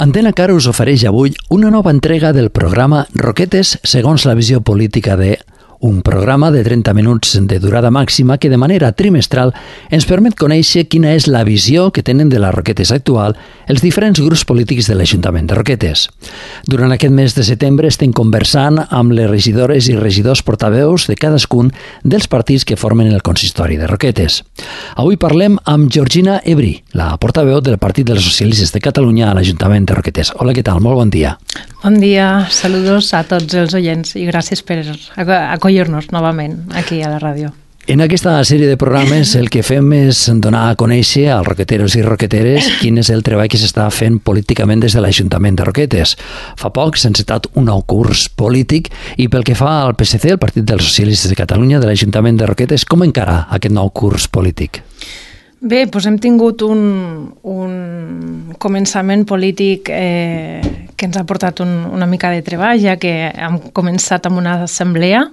Antena Cara us ofereix avui una nova entrega del programa Roquetes segons la visió política de... Un programa de 30 minuts de durada màxima que de manera trimestral ens permet conèixer quina és la visió que tenen de les Roquetes actual els diferents grups polítics de l'Ajuntament de Roquetes. Durant aquest mes de setembre estem conversant amb les regidores i regidors portaveus de cadascun dels partits que formen el consistori de Roquetes. Avui parlem amb Georgina Ebrí, la portaveu del Partit dels Socialistes de Catalunya a l'Ajuntament de Roquetes. Hola, què tal? Molt bon dia. Bon dia, saludos a tots els oients i gràcies per acollir-nos novament aquí a la ràdio. En aquesta sèrie de programes el que fem és donar a conèixer als roqueteros i roqueteres quin és el treball que s'està fent políticament des de l'Ajuntament de Roquetes. Fa poc s'ha encetat un nou curs polític i pel que fa al PSC, el Partit dels Socialistes de Catalunya de l'Ajuntament de Roquetes, com encara aquest nou curs polític? Bé, doncs hem tingut un començament polític que ens ha portat una mica de treball, ja que hem començat amb una assemblea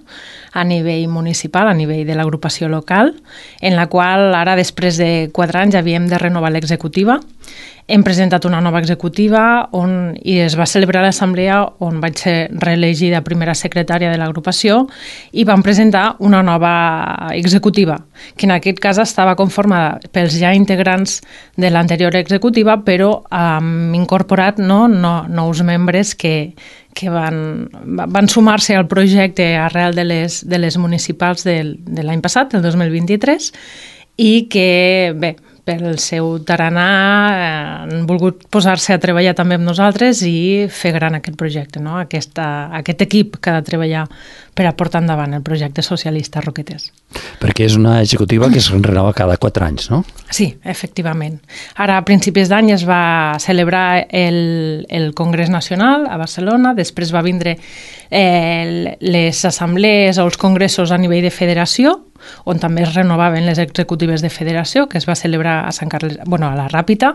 a nivell municipal, a nivell de l'agrupació local, en la qual ara, després de 4 anys, havíem de renovar l'executiva. Hem presentat una nova executiva i es va celebrar l'assemblea on vaig ser reelegida primera secretària de l'agrupació i vam presentar una nova executiva, que en aquest cas estava conformada pels ja integrants de l'anterior executiva, però hem incorporat nous membres que van sumar-se al projecte arrel de les municipals de l'any passat, del 2023, i que, bé, pel seu tarannà han volgut posar-se a treballar també amb nosaltres i fer gran aquest projecte, no? Aquest equip que ha de treballar per a portar endavant el projecte socialista Roquetes. Perquè és una executiva que es renova cada 4 anys, no? Sí, efectivament. Ara, a principis d'any, es va celebrar el Congrés Nacional a Barcelona, després va vindre les assemblees o els congressos a nivell de federació, on també es renovaven les executives de federació, que es va celebrar a Sant Carles, a la Ràpita,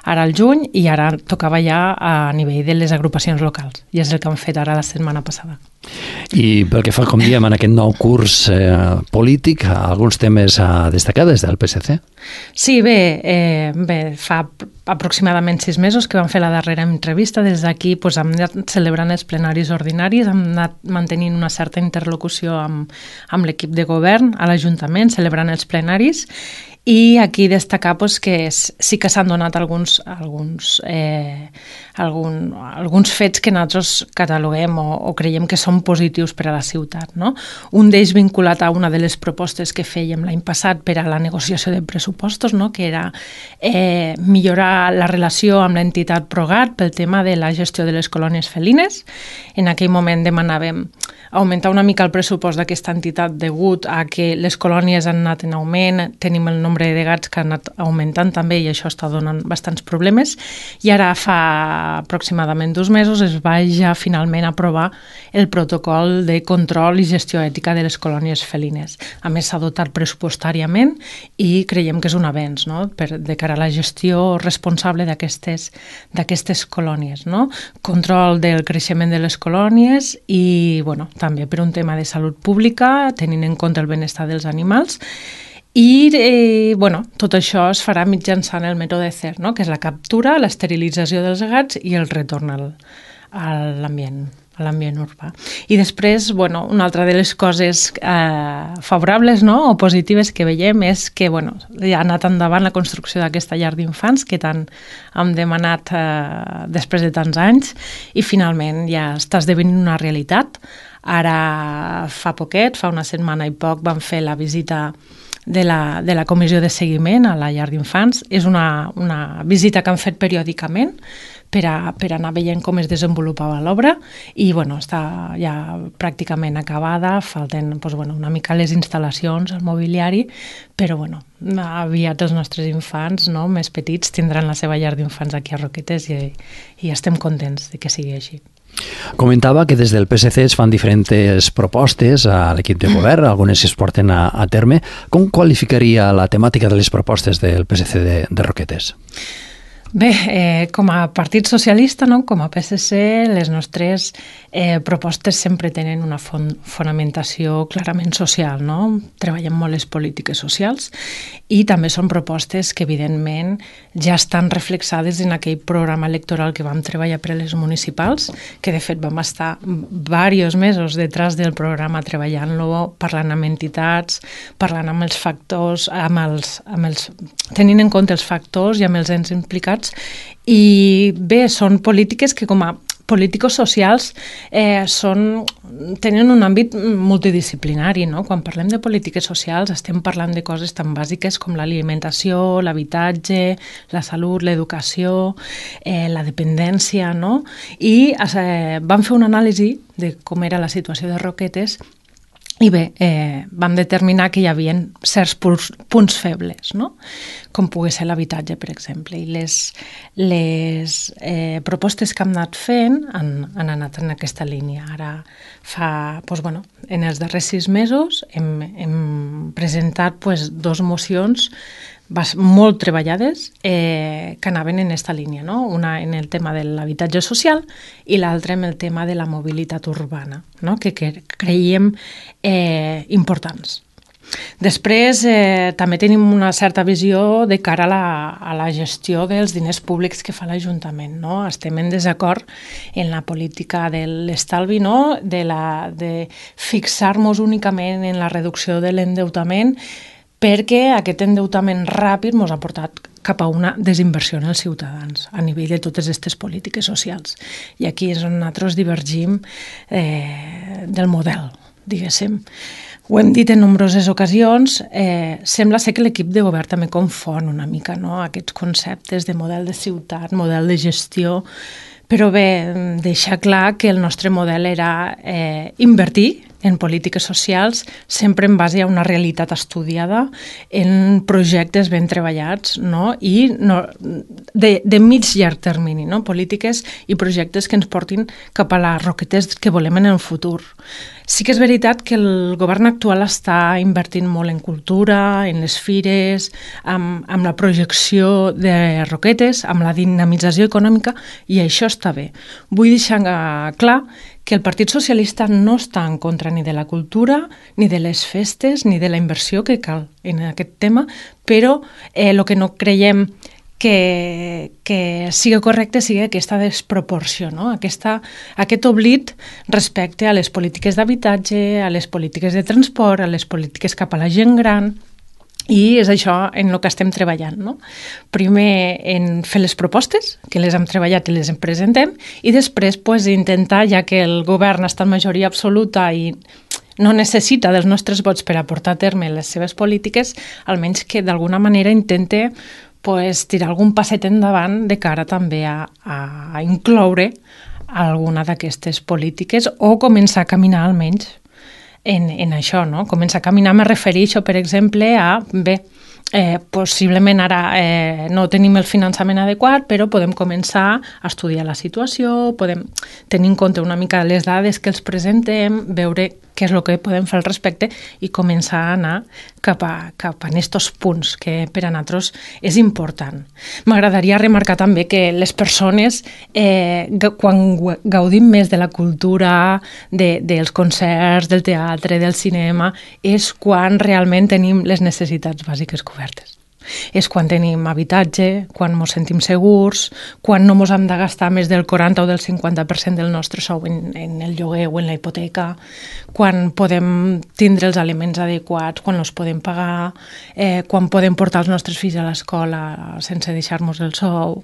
ara al juny, i ara tocava ja a nivell de les agrupacions locals. I és el que han fet ara la setmana passada. I pel que fa, com diem, en aquest nou curs polític, alguns temes a destacar des del PSC? Sí, bé, fa aproximadament 6 mesos que vam fer la darrera entrevista. Des d'aquí hem anat celebrant els plenaris ordinaris, hem anat mantenint una certa interlocució amb l'equip de govern a l'Ajuntament, celebrant els plenaris, i aquí destacar que sí que s'han donat alguns fets que nosaltres cataloguem o creiem que són positius per a la ciutat, no? Un d'ells vinculat a una de les propostes que fèiem l'any passat per a la negociació de pressupostos, no? Que era millorar la relació amb l'entitat Progat pel tema de la gestió de les colònies felines. En aquell moment demanàvem augmentar una mica el pressupost d'aquesta entitat degut a que les colònies han anat en augment, tenim el nombre de gats que han anat augmentant també i això està donant bastants problemes, i ara fa aproximadament 2 mesos es va ja finalment aprovar el protocol de control i gestió ètica de les colònies felines. A més, s'ha dotat pressupostàriament i creiem que és un avenç, no? De cara a la gestió responsable d'aquestes colònies, no? Control del creixement de les colònies i, també per un tema de salut pública, tenint en compte el benestar dels animals. I, tot això es farà mitjançant el mètode CER, no? Que és la captura, l'esterilització dels gats i el retorn a l'ambient urbà. I després, una altra de les coses favorables, no? O positives que veiem és que ja ha anat endavant la construcció d'aquesta llar d'infants que tant hem demanat després de tants anys i finalment ja està esdevenint una realitat. Ara fa poquet, fa una setmana i poc, vam fer la visita de la comissió de seguiment a la llar d'infants. És una visita que han fet periòdicament per anar veient com es desenvolupava l'obra i està ja pràcticament acabada, falten una mica les instal·lacions, el mobiliari, però aviat els nostres infants més petits tindran la seva llar d'infants aquí a Roquetes i estem contents de que sigui així. Comentava que des del PSC es fan diferents propostes a l'equip de govern, algunes es porten a terme. Com qualificaria la temàtica de les propostes del PSC de Roquetes? Bé, com a Partit Socialista, no? Com a PSC, les nostres propostes sempre tenen una fonamentació clarament social, no? Treballem molt les polítiques socials i també són propostes que, evidentment, ja estan reflexades en aquell programa electoral que vam treballar per a les municipals, que, de fet, vam estar diversos mesos detrás del programa treballant-lo, parlant amb entitats, parlant amb els factors, tenint en compte els factors i amb els ens implicats. I bé, són polítiques que com a polítics socials tenen un àmbit multidisciplinari, no? Quan parlem de polítiques socials estem parlant de coses tan bàsiques com l'alimentació, l'habitatge, la salut, l'educació, la dependència, no? I vam fer una anàlisi de com era la situació de Roquetes i bé, vam determinar que hi havia certs punts febles, no? Com pogués ser l'habitatge, per exemple. I les propostes que hem anat fent han anat en aquesta línia. Ara en els darrers 6 mesos hem presentat 2 mocions molt treballades que anaven en aquesta línia, no? Una en el tema de l'habitatge social i l'altra en el tema de la mobilitat urbana, no? Que creiem importants. Després també tenim una certa visió de cara a la gestió dels diners públics que fa l'Ajuntament, no? Estem en desacord en la política de l'estalvi, no? De fixar-nos únicament en la reducció de l'endeutament, perquè aquest endeutament ràpid ens ha portat cap a una desinversió en els ciutadans a nivell de totes aquestes polítiques socials. I aquí és on nosaltres divergim del model, diguéssim. Ho hem dit en nombroses ocasions, sembla ser que l'equip de govern també confon una mica, no? Aquests conceptes de model de ciutat, model de gestió, però bé, deixar clar que el nostre model era invertir en polítiques socials sempre en base a una realitat estudiada, en projectes ben treballats, no? I de mig llarg termini, no? Polítiques i projectes que ens portin cap a les Roquetes que volem en el futur. Sí que és veritat que el govern actual està invertint molt en cultura, en les fires, amb la projecció de Roquetes, amb la dinamització econòmica, i això està bé. Vull deixar clar que el Partit Socialista no està en contra ni de la cultura, ni de les festes, ni de la inversió que cal en aquest tema, però el que no creiem que sigui correcte sigui aquesta desproporció, no? Aquest oblit respecte a les polítiques d'habitatge, a les polítiques de transport, a les polítiques cap a la gent gran, i és això en el que estem treballant, no? Primer en fer les propostes, que les hem treballat i les presentem, i després intentar, ja que el govern està en majoria absoluta i no necessita dels nostres vots per a portar a terme les seves polítiques, almenys que d'alguna manera intente tirar algun passet endavant de cara també a incloure alguna d'aquestes polítiques o començar a caminar almenys en això, no? Començar a caminar, me refereixo, per exemple, a, possiblement ara no tenim el finançament adequat, però podem començar a estudiar la situació, podem tenir en compte una mica les dades que els presentem, veure què és el que podem fer al respecte i començar a anar cap a aquests punts que per a nosaltres és important. M'agradaria remarcar també que les persones, quan gaudim més de la cultura, dels concerts, del teatre, del cinema, és quan realment tenim les necessitats bàsiques cobertes. És quan tenim habitatge, quan ens sentim segurs, quan no ens hem de gastar més del 40 o del 50% del nostre sou en el lloguer o en la hipoteca, quan podem tindre els aliments adequats, quan els podem pagar, quan podem portar els nostres fills a l'escola sense deixar-nos el sou,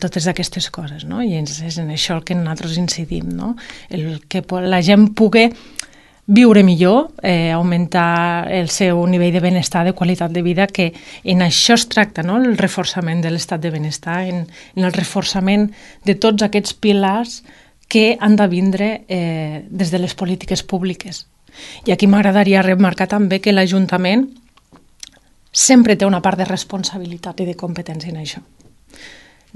totes aquestes coses, no? I és en això el que nosaltres incidim, no? El que la gent pugui viure millor, augmentar el seu nivell de benestar, de qualitat de vida, que en això es tracta, no? El reforçament de l'estat de benestar, en el reforçament de tots aquests pilars que han de vindre des de les polítiques públiques. I aquí m'agradaria remarcar també que l'Ajuntament sempre té una part de responsabilitat i de competència en això.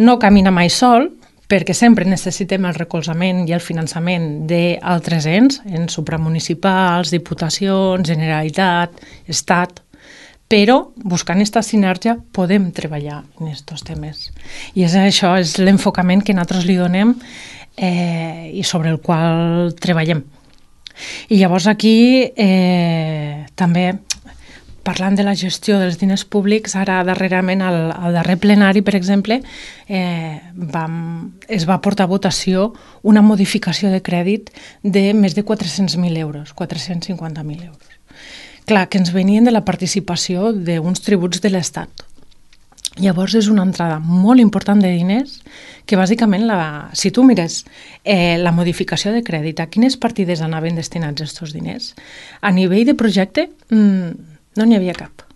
No camina mai sol, perquè sempre necessitem el recolzament i el finançament d'altres ens supramunicipals, diputacions, Generalitat, Estat, però buscant aquesta sinergia podem treballar en aquests temes. I això és l'enfocament que nosaltres li donem i sobre el qual treballem. I llavors aquí també, parlant de la gestió dels diners públics, ara darrerament al darrer plenari, per exemple, es va portar a votació una modificació de crèdit de més de 400.000 euros, 450.000 euros. Clar, que ens venien de la participació d'uns tributs de l'Estat. Llavors és una entrada molt important de diners que bàsicament, si tu mires la modificació de crèdit, a quines partides anaven destinats aquests diners, a nivell de projecte no n'hi havia cap.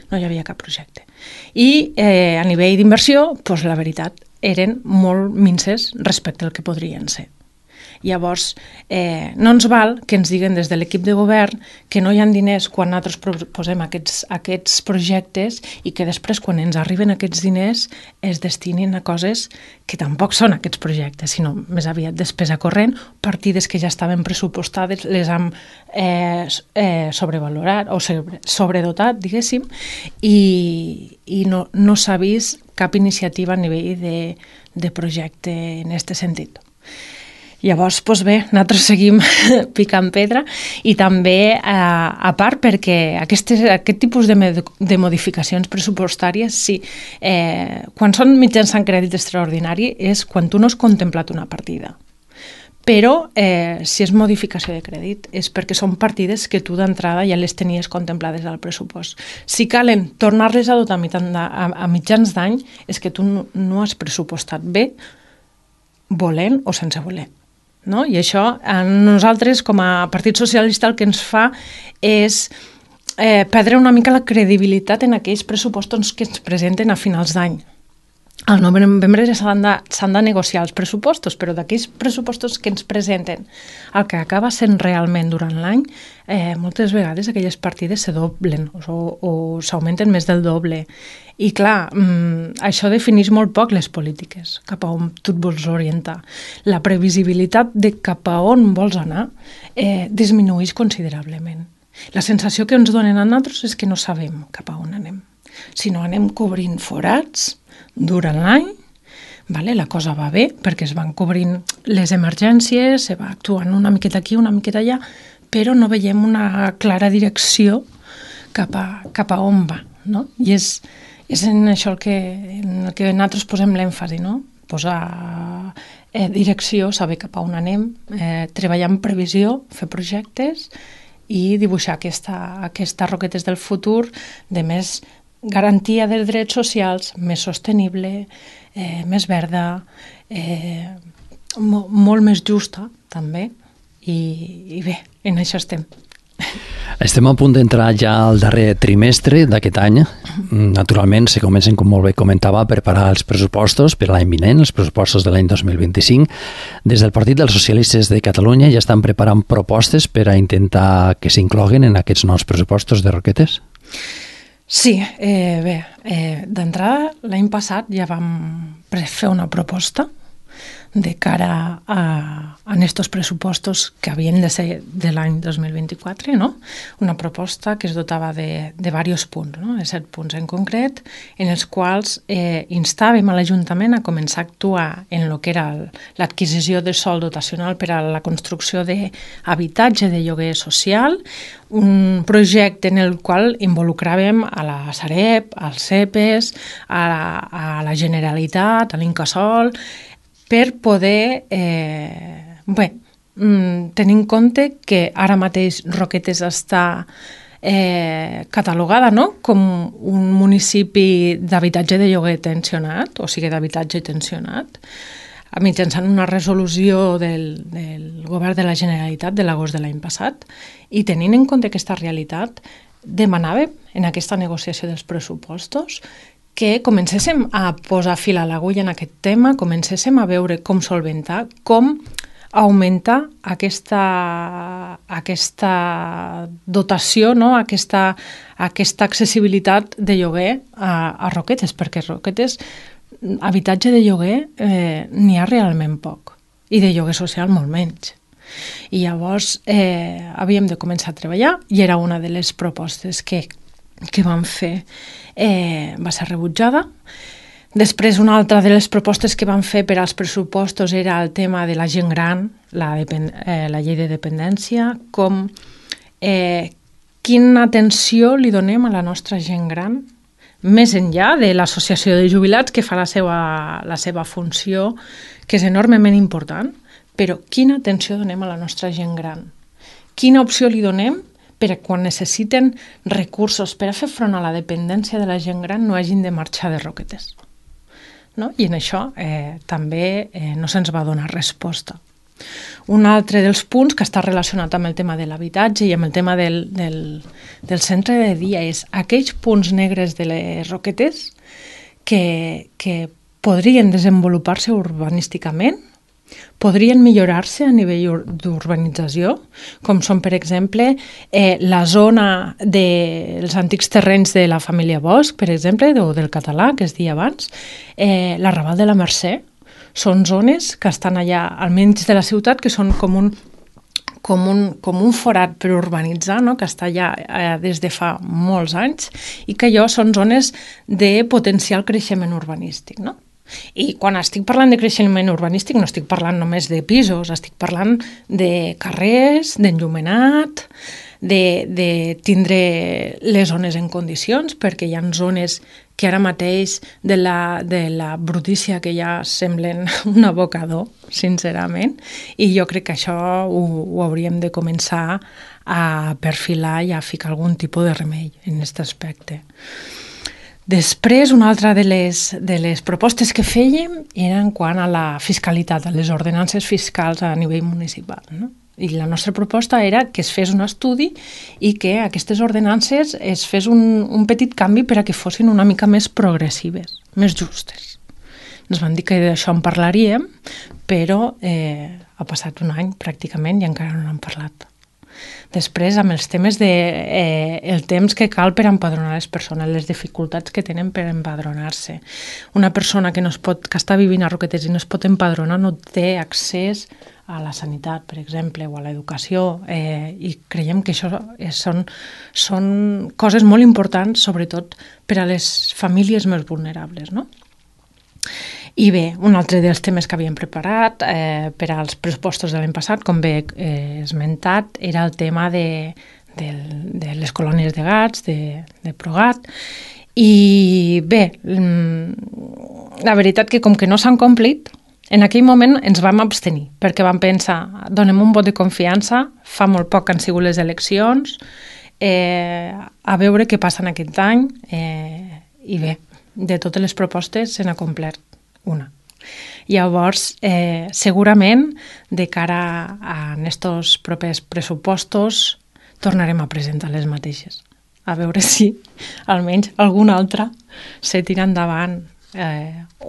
No hi havia cap projecte. I a nivell d'inversió, doncs la veritat, eren molt minces respecte al que podrien ser. Llavors, no ens val que ens diguen des de l'equip de govern que no hi ha diners quan nosaltres proposem aquests projectes i que després, quan ens arriben aquests diners, es destinin a coses que tampoc són aquests projectes, sinó més aviat despesa corrent, partides que ja estaven pressupostades, les hem sobrevalorat o sobredotat, diguéssim, i no s'ha vist cap iniciativa a nivell de projecte en aquest sentit. Llavors, doncs bé, nosaltres seguim picant pedra i també, a part, perquè aquest tipus de modificacions pressupostàries, sí, quan són mitjançant crèdit extraordinari és quan tu no has contemplat una partida. Però si és modificació de crèdit és perquè són partides que tu d'entrada ja les tenies contemplades al pressupost. Si calen tornar-les a dotar a mitjans d'any és que tu no has pressupostat bé, volent o sense voler. No? I això a nosaltres com a Partit Socialista el que ens fa és perdre una mica la credibilitat en aquells pressupostos que ens presenten a finals d'any. Al novembre s'han de negociar els pressupostos, però d'aquells pressupostos que ens presenten el que acaba sent realment durant l'any, moltes vegades aquelles partides se doblen o s'augmenten més del doble. I clar, això defineix molt poc les polítiques, cap a on tu et vols orientar. La previsibilitat de cap a on vols anar disminueix considerablement. La sensació que ens donen a nosaltres és que no sabem cap a on anem, sinó anem cobrint forats durant l'any, la cosa va bé perquè es van cobrint les emergències, se va actuant una miqueta aquí, una miqueta allà, però no veiem una clara direcció cap a on va. No? I és en això en el que nosaltres posem l'èmfasi, no? Posar direcció, saber cap a on anem, treballar en previsió, fer projectes i dibuixar aquestes roquetes del futur de més garantia dels drets socials, més sostenible, més verda, molt més justa, també, i bé, en això estem. Estem a punt d'entrar ja al darrer trimestre d'aquest any. Naturalment, se comencen, com molt bé comentava, a preparar els pressupostos per l'any vinent, els pressupostos de l'any 2025. Des del Partit dels Socialistes de Catalunya ja estan preparant propostes per a intentar que s'incloguen en aquests nous pressupostos de Roquetes? Sí, bé, d'entrada l'any passat ja vam fer una proposta de cara a estos pressupostos que havien de ser de l'any 2024, no? Una proposta que es dotava de diversos punts, no? De 7 punts en concret, en els quals instàvem a l'Ajuntament a començar a actuar en el que era l'adquisició de sòl dotacional per a la construcció d'habitatge de lloguer social, un projecte en el qual involucràvem a la Sareb, als CEPES, a la Generalitat, a l'Incasòl, per poder tenir en compte que ara mateix Roquetes està catalogada, no?, com un municipi d'habitatge de lloguer tensionat, o sigui, d'habitatge tensionat, mitjançant una resolució del govern de la Generalitat de l'agost de l'any passat, i tenint en compte aquesta realitat, demanàvem en aquesta negociació dels pressupostos que comencéssim a posar fil a l'agulla en aquest tema, comencéssim a veure com solventar, com augmentar aquesta dotació, no? aquesta accessibilitat de lloguer a Roquetes, perquè Roquetes, habitatge de lloguer, n'hi ha realment poc, i de lloguer social molt menys. I llavors havíem de començar a treballar i era una de les propostes que que vam fer va ser rebutjada. Després, una altra de les propostes que van fer per als pressupostos era el tema de la gent gran, la llei de dependència, com quina atenció li donem a la nostra gent gran, més enllà de l'associació de jubilats que fa la seva funció, que és enormement important, però quina atenció donem a la nostra gent gran? Quina opció li donem per a quan necessiten recursos per a fer front a la dependència de la gent gran no hagin de marxar de Roquetes? No? I en això també no se'ns va donar resposta. Un altre dels punts que està relacionat amb el tema de l'habitatge i amb el tema del centre de dia és aquells punts negres de les Roquetes que podrien desenvolupar-se urbanísticament, podrien millorar-se a nivell d'urbanització, com són, per exemple, la zona dels antics terrenys de la família Bosch, per exemple, o del Català, que es deia abans, l'Arrabal de la Mercè. Són zones que estan allà al mig de la ciutat, que són com un forat per urbanitzar, no? Que està allà des de fa molts anys, i que allò són zones de potencial creixement urbanístic, no? I quan estic parlant de creixement urbanístic no estic parlant només de pisos, estic parlant de carrers, d'enllumenat, de tindre les zones en condicions, perquè hi ha zones que ara mateix de la brutícia que ja semblen un abocador, sincerament, i jo crec que això ho hauríem de començar a perfilar i a ficar algun tipus de remei en aquest aspecte. Després, una altra de les propostes que fèiem era en quant a la fiscalitat, a les ordenances fiscals a nivell municipal, no? I la nostra proposta era que es fes un estudi i que aquestes ordenances es fes un petit canvi per a que fossin una mica més progressives, més justes. Ens van dir que d'això en parlaríem, però ha passat un any pràcticament i encara no n'hem parlat. Després, amb els temes el temps que cal per empadronar les persones, les dificultats que tenen per empadronar-se. Una persona que està vivint a Roquetes i no es pot empadronar no té accés a la sanitat, per exemple, o a l'educació, i creiem que això són coses molt importants, sobretot per a les famílies més vulnerables, no? I bé, un altre dels temes que havíem preparat per als pressupostos de l'any passat, com bé he esmentat, era el tema de les colònies de gats, de Progat. I bé, la veritat que com que no s'han complit, en aquell moment ens vam abstenir, perquè vam pensar, donem un vot de confiança, fa molt poc que han sigut les eleccions, a veure què passa en aquest any, i bé, de totes les propostes se n'ha complert una. Llavors, segurament, de cara a aquests propers pressupostos, tornarem a presentar les mateixes. A veure si almenys alguna altra se tira endavant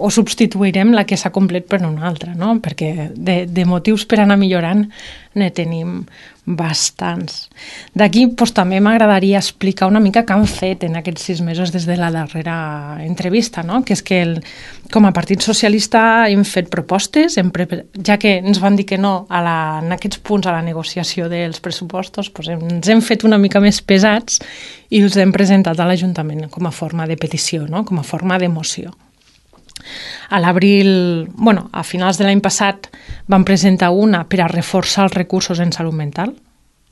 o substituirem la que s'ha complet per una altra, no? Perquè de motius per anar millorant ne tenim bastants. D'aquí també m'agradaria explicar una mica què han fet en aquests 6 mesos des de la darrera entrevista, no? Que és que com a Partit Socialista hem fet propostes, ja que ens van dir que no en aquests punts a la negociació dels pressupostos, ens hem fet una mica més pesats i els hem presentat a l'Ajuntament com a forma de petició, no? Com a forma de moció. A l'abril, a finals de l'any passat, vam presentar una per a reforçar els recursos en salut mental.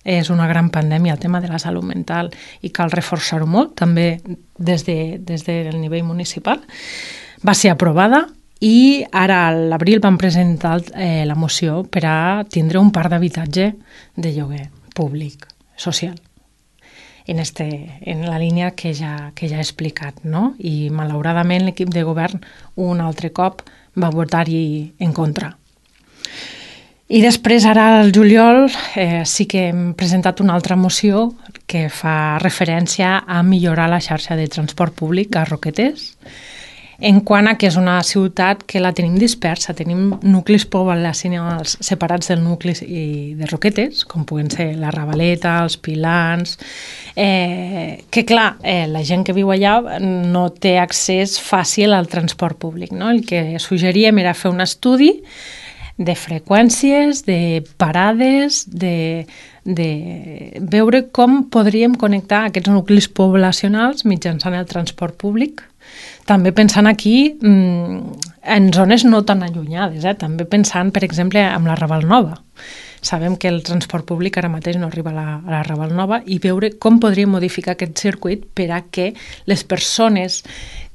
És una gran pandèmia el tema de la salut mental i cal reforçar-ho molt, també des del nivell municipal. Va ser aprovada i ara a l'abril vam presentar la moció per a tindre un parc d'habitatge de lloguer públic, social. En la línia que ja he explicat, no? I malauradament l'equip de govern un altre cop va votar-hi en contra. I després, ara al juliol, sí que hem presentat una altra moció que fa referència a millorar la xarxa de transport públic a Roquetes, en quant a que és una ciutat que la tenim dispersa, tenim nuclis poblacionals separats del nucli de Roquetes, com puguen ser la Ravaleta, els Pilans, que clar, la gent que viu allà no té accés fàcil al transport públic, no? El que suggeríem era fer un estudi de freqüències, de parades, de veure com podríem connectar aquests nuclis poblacionals mitjançant el transport públic. També pensant aquí en zones no tan allunyades, també pensant, per exemple, en la Raval Nova. Sabem que el transport públic ara mateix no arriba a la Raval Nova i veure com podríem modificar aquest circuit per a que les persones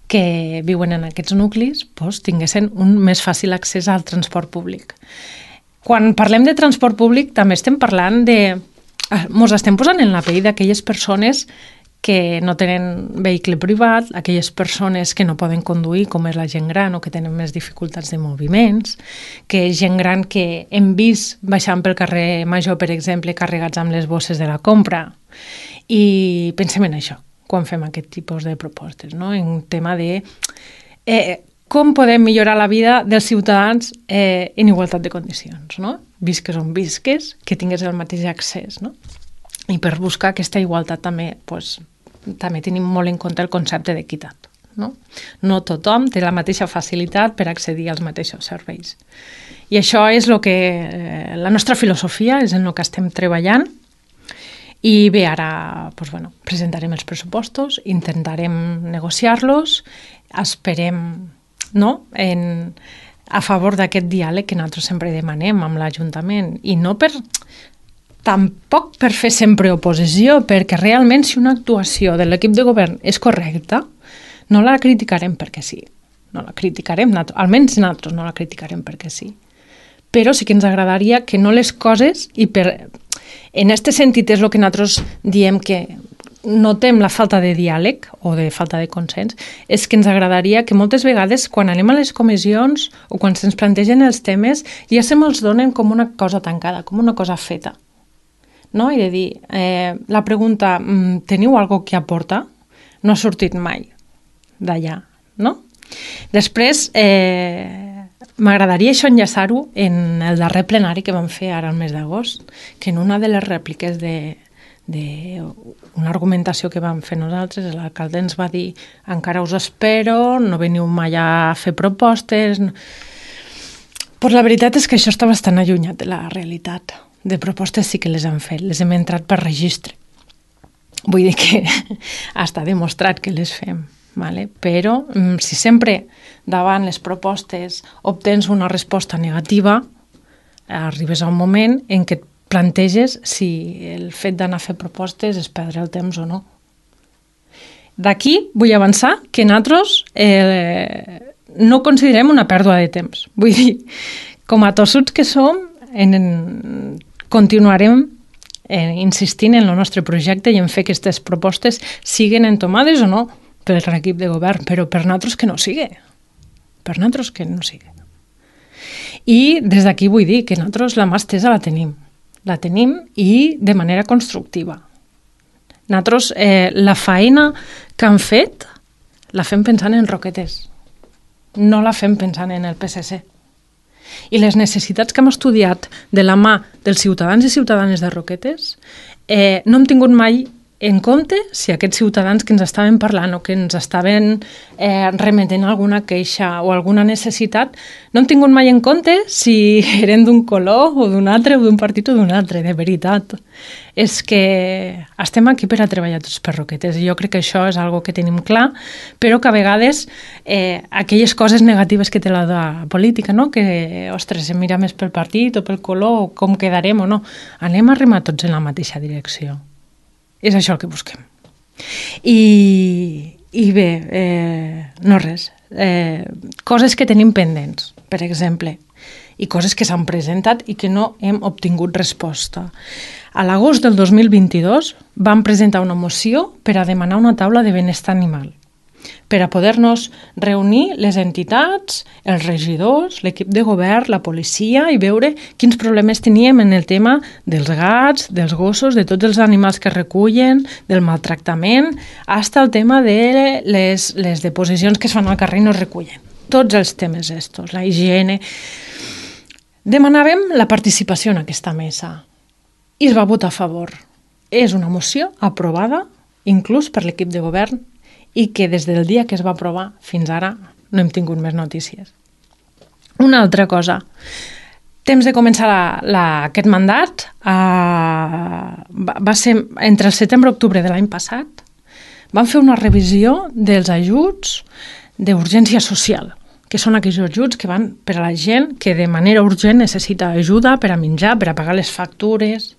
que viuen en aquests nuclis tinguessin un més fàcil accés al transport públic. Quan parlem de transport públic també estem parlant ens estem posant en la pell d'aquelles persones que no tenen vehicle privat, aquelles persones que no poden conduir, com és la gent gran o que tenen més dificultats de moviments, que és gent gran que hem vist baixant pel carrer Major, per exemple, carregats amb les bosses de la compra. I pensem en això quan fem aquest tipus de propostes, no? En tema de com podem millorar la vida dels ciutadans en igualtat de condicions, no? Visques on visques, que tingués el mateix accés, no? I per buscar aquesta igualtat també, també tenim molt en compte el concepte d'equitat, no? No tothom té la mateixa facilitat per accedir als mateixos serveis. I això és la nostra filosofia, és en el que estem treballant. I bé, ara presentarem els pressupostos, intentarem negociar-los, esperem a favor d'aquest diàleg que nosaltres sempre demanem amb l'Ajuntament, i no tampoc per fer sempre oposició, perquè realment si una actuació de l'equip de govern és correcta, no la criticarem perquè sí. No la criticarem, almenys nosaltres no la criticarem perquè sí. Però sí que ens agradaria que no les coses, en aquest sentit és el que nosaltres diem que notem la falta de diàleg o de falta de consens, és que ens agradaria que moltes vegades quan anem a les comissions o quan se'ns plantegen els temes ja se me'ls donen com una cosa tancada, com una cosa feta. No? I de dir, la pregunta, teniu alguna cosa que aportar? No ha sortit mai d'allà, no? Després, m'agradaria això enllaçar-ho en el darrer plenari que vam fer ara al mes d'agost, que en una de les rèpliques d'una argumentació que vam fer nosaltres, l'alcalde ens va dir encara us espero, no veniu mai a fer propostes. Però la veritat és que això està bastant allunyat de la realitat. De propostes sí que les han fet, les hem entrat per registre. Vull dir que està demostrat que les fem. Vale? Però si sempre davant les propostes obtens una resposta negativa, arribes a un moment en què et planteges si el fet d'anar a fer propostes és perdre el temps o no. D'aquí vull avançar que nosaltres no considerem una pèrdua de temps. Vull dir, com a tossuts que som, continuarem insistint en el nostre projecte i en fer que aquestes propostes siguen entomades o no per l'equip de govern, però per nosaltres que no sigui. Per nosaltres que no sigui. I des d'aquí vull dir que nosaltres la mà estesa la tenim. La tenim i de manera constructiva. Nosaltres la feina que han fet la fem pensant en Roquetes. No la fem pensant en el PSC. I les necessitats que hem estudiat de la mà dels ciutadans i ciutadanes de Roquetes no hem tingut mai en compte si aquests ciutadans que ens estaven parlant o que ens estaven remetent alguna queixa o alguna necessitat, no hem tingut mai en compte si eren d'un color o d'un altre o d'un partit o d'un altre, de veritat. És que estem aquí per a treballar tots per Roquetes i jo crec que això és algo que tenim clar, però que a vegades aquelles coses negatives que té la política, no? Que, ostres, se mira més pel partit o pel color o com quedarem o no. Anem a remar tots en la mateixa direcció. És això el que busquem. I bé, no res. Coses que tenim pendents, per exemple, i coses que s'han presentat i que no hem obtingut resposta. A l'agost del 2022 vam presentar una moció per a demanar una taula de benestar animal, per a poder-nos reunir les entitats, els regidors, l'equip de govern, la policia i veure quins problemes teníem en el tema dels gats, dels gossos, de tots els animals que recullen, del maltractament, fins al tema de les deposicions que es fan al carrer i no es recullen. Tots els temes estos, la higiene. Demanàvem la participació en aquesta mesa i es va votar a favor. És una moció aprovada, inclús per l'equip de govern, i que des del dia que es va aprovar fins ara no hem tingut més notícies. Una altra cosa. Temps de començar aquest mandat va ser entre el setembre i octubre de l'any passat. Vam fer una revisió dels ajuts d'urgència social, que són aquells ajuts que van per a la gent que de manera urgent necessita ajuda per a menjar, per a pagar les factures.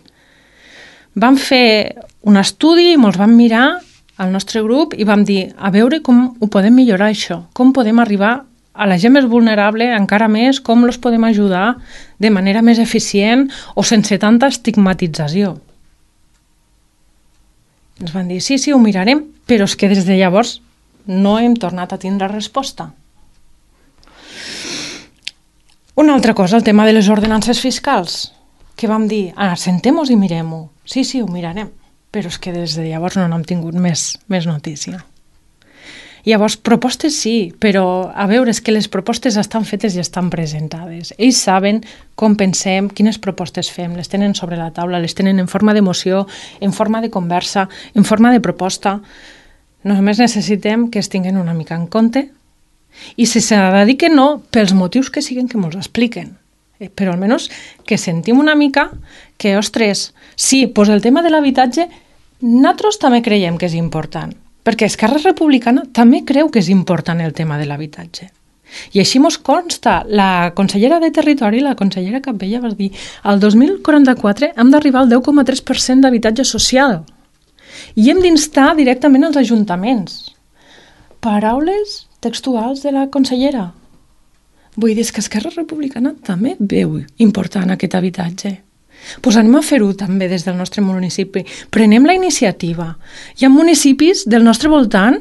Vam fer un estudi i ens vam mirar al nostre grup i vam dir a veure com ho podem millorar això, com podem arribar a la gent més vulnerable encara més, com els podem ajudar de manera més eficient o sense tanta estigmatització. Ens van dir, sí, ho mirarem, però és que des de llavors no hem tornat a tindre resposta. Una altra cosa, el tema de les ordenances fiscals, que vam dir, sentem-nos i mirem-ho. Sí, ho mirarem, però és que des de llavors no n'hem tingut més notícia. Llavors, propostes sí, però a veure, és que les propostes estan fetes i estan presentades. Ells saben com pensem, quines propostes fem, les tenen sobre la taula, les tenen en forma de moció, en forma de conversa, en forma de proposta. Només necessitem que es tinguin una mica en compte i si s'ha de dir que no, pels motius que siguen que ens expliquen. Però almenys que sentim una mica que, ostres, sí, doncs el tema de l'habitatge nosaltres també creiem que és important. Perquè Esquerra Republicana també creu que és important el tema de l'habitatge. I així ens consta, la consellera de Territori, la consellera Capella, va dir al 2044 hem d'arribar al 10,3% d'habitatge social i hem d'instar directament als ajuntaments. Paraules textuals de la consellera. Vull dir que Esquerra Republicana també veu important aquest habitatge. Doncs anem a fer-ho també des del nostre municipi. Prenem la iniciativa. Hi ha municipis del nostre voltant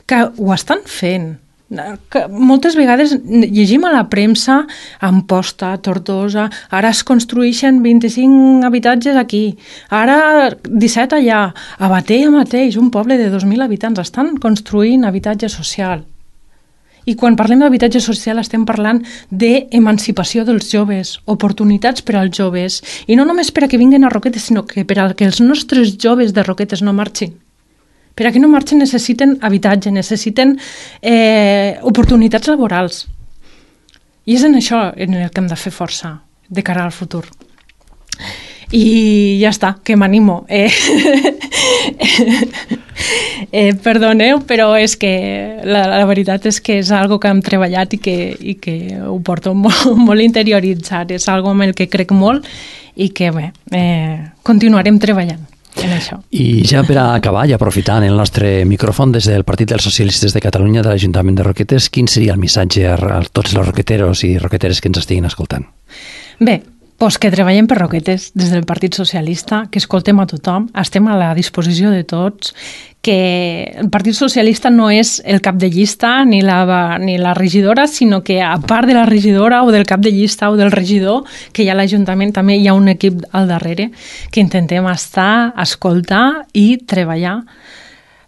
que ho estan fent. Que moltes vegades llegim a la premsa a Amposta, a Tortosa, ara es construeixen 25 habitatges aquí, ara 17 allà, a Batea mateix, un poble de 2.000 habitants, estan construint habitatge social. I quan parlem d'habitatge social estem parlant d'emancipació dels joves, oportunitats per als joves, i no només per a que vinguin a Roquetes, sinó que per a que els nostres joves de Roquetes no marxin. Per a que no marxin necessiten habitatge, necessiten oportunitats laborals. I és en això en el que hem de fer força de cara al futur. I ja està, que m'animo. Perdoneu, però és que la veritat és que és algo que hem treballat i que ho porto molt interioritzat. És algo amb el que crec molt i que bé, continuarem treballant en això. I ja per a acabar i aprofitant el nostre micròfon des del Partit dels Socialistes de Catalunya de l'Ajuntament de Roquetes, quin seria el missatge a tots els roqueteros i roqueteres que ens estiguin escoltant? Bé, doncs que treballem per Roquetes des del Partit Socialista, que escoltem a tothom, estem a la disposició de tots, que el Partit Socialista no és el cap de llista ni la regidora, sinó que a part de la regidora o del cap de llista o del regidor que hi ha a l'Ajuntament, també hi ha un equip al darrere que intentem estar, escoltar i treballar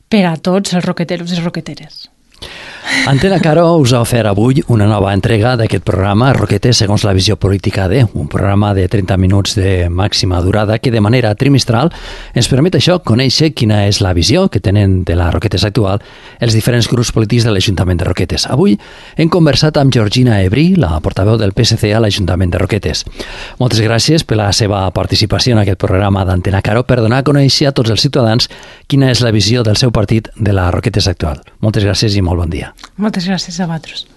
per a tots els roqueteros i roqueteres. Antena Caro us ha ofert avui una nova entrega d'aquest programa Roquetes segons la visió política de, un programa de 30 minuts de màxima durada que de manera trimestral ens permet això, conèixer quina és la visió que tenen de la Roquetes actual els diferents grups polítics de l'Ajuntament de Roquetes. Avui hem conversat amb Georgina Ebrí, la portaveu del PSC a l'Ajuntament de Roquetes. Moltes gràcies per la seva participació en aquest programa d'Antena Caro per donar a conèixer a tots els ciutadans quina és la visió del seu partit de la Roquetes actual. Moltes gràcies i molt bon dia. Moltes gràcies a vosaltres.